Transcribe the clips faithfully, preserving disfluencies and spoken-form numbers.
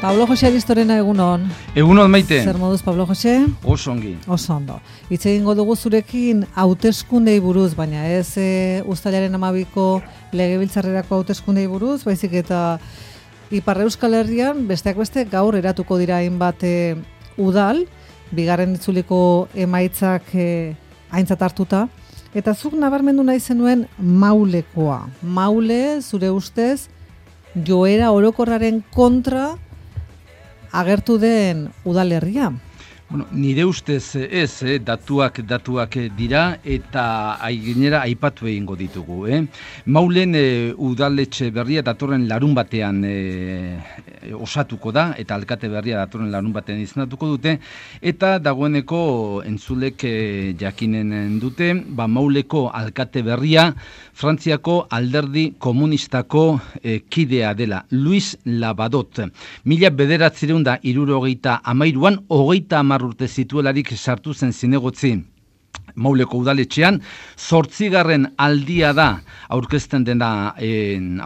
Pablo Jose Aristorena egunon. Egunon Maite. Zer moduz Pablo Jose? Oso ongi. Oso ondo. Hitz egingo dugu zurekin hauteskundei buruz, baina ez e, uztailaren hamabiko legebiltzarrerako hauteskundei buruz, baizik eta Ipar Euskal Herrian besteak beste gaur eratuko dira hainbat e, udal, bigarren itzuliko emaitzak e, aintzat hartuta, eta zuk nabarmendu nahi zenuen Maulekoa. Maule, zure ustez, joera orokorraren kontra agertu den udalerria. Bueno, nire ustez ez, eh, datuak datuak dira eta gainera aipatu egingo ditugu. Eh? Maulen eh, udaletxe berria datorren larun batean eh, osatuko da, eta alkate berria datorren larun batean izendatuko dute, eta dagoeneko entzulek eh, jakinen dute, ba, Mauleko alkate berria Frantziako alderdi komunistako eh, kidea dela, Luis Labadot. Mila bederatzireun da hirurogeita hamairuan, hogeita hamar urte zituelarik sartu zen zinegotzi Mauleko udaletxean, zortzigarren aldia da aurkezten dena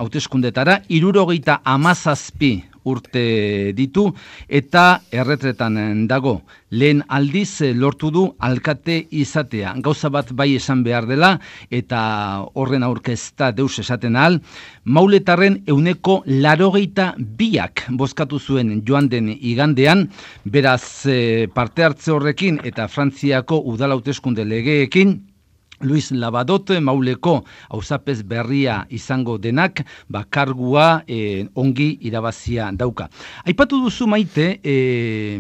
hauteskundetara, hirurogeita hamazazpi urte ditu eta erretretan dago. Lehen aldiz lortu du alkate izatea. Gauza bat bai esan behar dela eta horren aurkezta deus esaten ahal, Mauletarren euneko larogeita biak bozkatu zuen joan den igandean, beraz parte hartze horrekin eta Frantziako udal hauteskunde legeekin, Luis Labadot, Mauleko auzapez berria izango denak, bakargua eh, ongi irabazia dauka. Aipatu duzu Maite, eh,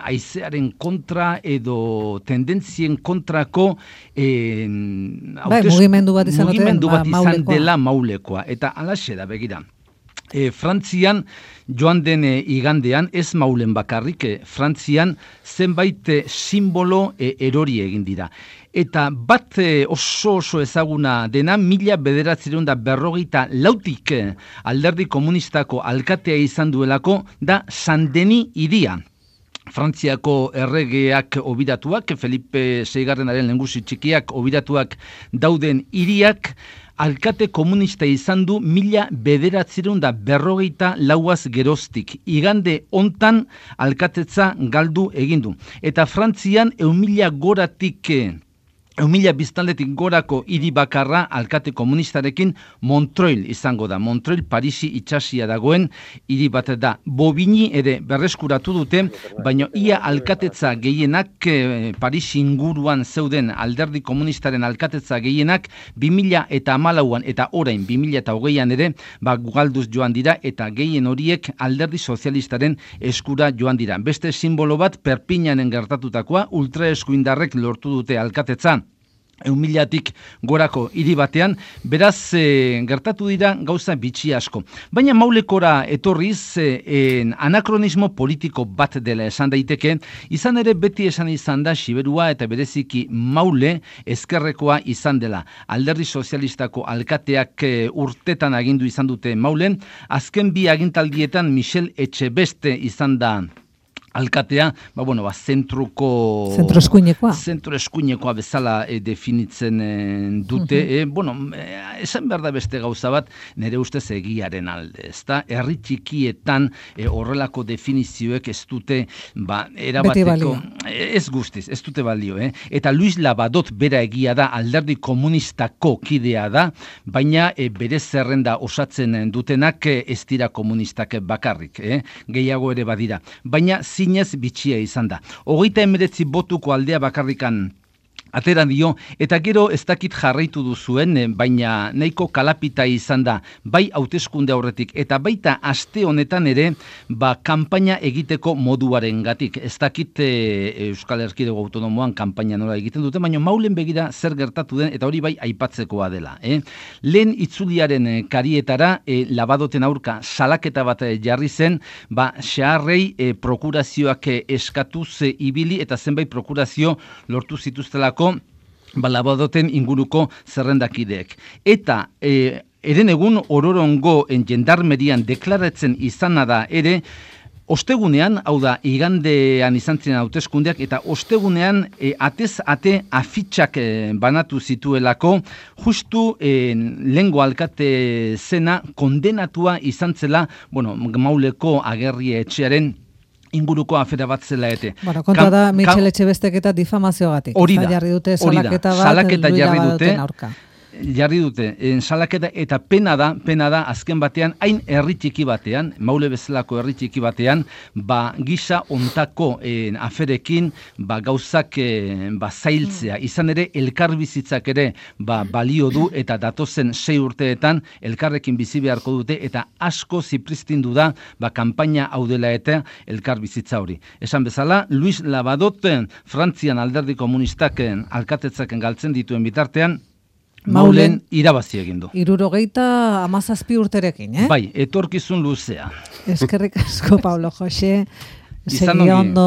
aizearen kontra edo tendentzien kontrako eh, bai, mugimendu bat izan, mugimendu bat ba, izan dela Maulekoa. Eta alaxe da, begira. E, Frantzian joan den e, igandean, ez Maulen bakarrik, e, Frantzian zenbait e, simbolo e, erori egin dira. Eta bat e, oso oso ezaguna dena, mila bederatzireun da berrogeita lautik e, alderdi komunistako alkatea izan duelako, da Saint-Denis hiria. Frantziako erregeak obiratuak, Felipe seigarrenaren lehengusi txikiak obiratuak dauden hiriak, alkate komunista izan du mila bederatzireun da berrogeita lauaz geroztik. Igande hontan alkatetza galdu egin du. Eta Frantzian eun mila goratik... Eun mila biztanletik gorako hiri bakarra alkate komunistarekin Montreuil izango da. Montreuil Parisi itsasia dagoen hiri bat da. Bobigny ere berreskuratu dute, baina ia alkatetza gehienak eh, Parisi inguruan zeuden alderdi komunistaren alkatetza gehienak bi mila eta hamalauan eta orain bi mila eta hogeian ere ba, galduz joan dira eta gehien horiek alderdi sozialistaren eskura joan dira. Beste simbolo bat Perpignanen gertatutakoa, ultraeskuindarrek lortu dute alkatetza eun milatik gorako hiri batean, beraz e, gertatu dira gauza bitxi asko. Baina Maulekora etorriz e, anakronismo politiko bat dela esan daiteke, izan ere beti esan izan da Xiberua eta bereziki Maule ezkerrekoa izan dela. Alderdi sozialistako alkateak e, urtetan agindu izan dute Maulen, azken bi agintaldietan Michel Etxebeste izan da alkatea, ba, bueno, ba, zentruko... Zentro eskuinekoa. Zentro eskuinekoa bezala e, definitzen e, dute. Uh-huh. e, bueno, e, esan behar da beste gauza bat, nire ustez egiaren alde, ezta? Herri txikietan e, horrelako definizioek ez dute, ba, erabateko... Ez guztiz, ez dute balio, eh? Eta Luis Labadot bera egia da, alderdi komunistako kidea da, baina e, bere zerrenda osatzen dutenak e, ez dira komunistak bakarrik, eh? Gehiago ere badira. Baina zinez bitxia izan da. Hogeita emeretzi botuko aldea bakarrikan atera dio, eta gero ez dakit jarraitu duzuen, baina nahiko kalapita izan da, bai hauteskunde aurretik, eta baita aste honetan ere, ba, kanpaina egiteko moduaren gatik. Ez dakit e, Euskal Erkidego Autonomoan kanpaina nola egiten dute, baina Maulen begira zer gertatu den, eta hori bai aipatzekoa dela. Eh? Lehen itzuliaren karietara, e, Labadoten aurka salaketa bat jarri zen, ba, xaharrei e, prokurazioak eskatuz e, ibili, eta zenbait prokurazio lortu zituztelako Ba, Labadoten inguruko zerrendakideek. Eta e, eren egun ororongo en jendarmerian deklaratzen izana da ere, ostegunean, hau da, igandean izan ziren hauteskundeak, eta ostegunean e, atez ate afitxak e, banatu zituelako, justu e, lehengo alkate zena kondenatua izan zela, bueno, Mauleko agerri etxearen inguruko afera bat zela ete. Bueno, kontua da, Michel Etxebestek eta difamazioagatik. Hori da, jarri dute hori da, salaketa bat, salaketa jarri dute, aurka. jarri dute, en, salaketa, eta pena da, pena da, azken batean, hain herri txiki batean, Maule bezalako herri txiki batean, ba, gisa ontako en, aferekin, ba, gauzak eh, ba, zailtzea. Izan ere, elkar bizitzak ere, ba, balio du, eta datozen sei urteetan, elkarrekin bizi beharko dute, eta asko zipristindu da, ba, kanpaina hau dela eta elkar bizitza hori. Esan bezala, Luis Labadot, Frantzian alderdi komunistak alkatetzaken galtzen dituen bitartean, Maulen irabazi egin du. Hirurogeita hamazazpi urterekin, eh? Bai, etorkizun luzea. Eskerrik asko, Pablo Jose. Izan Segi ondo.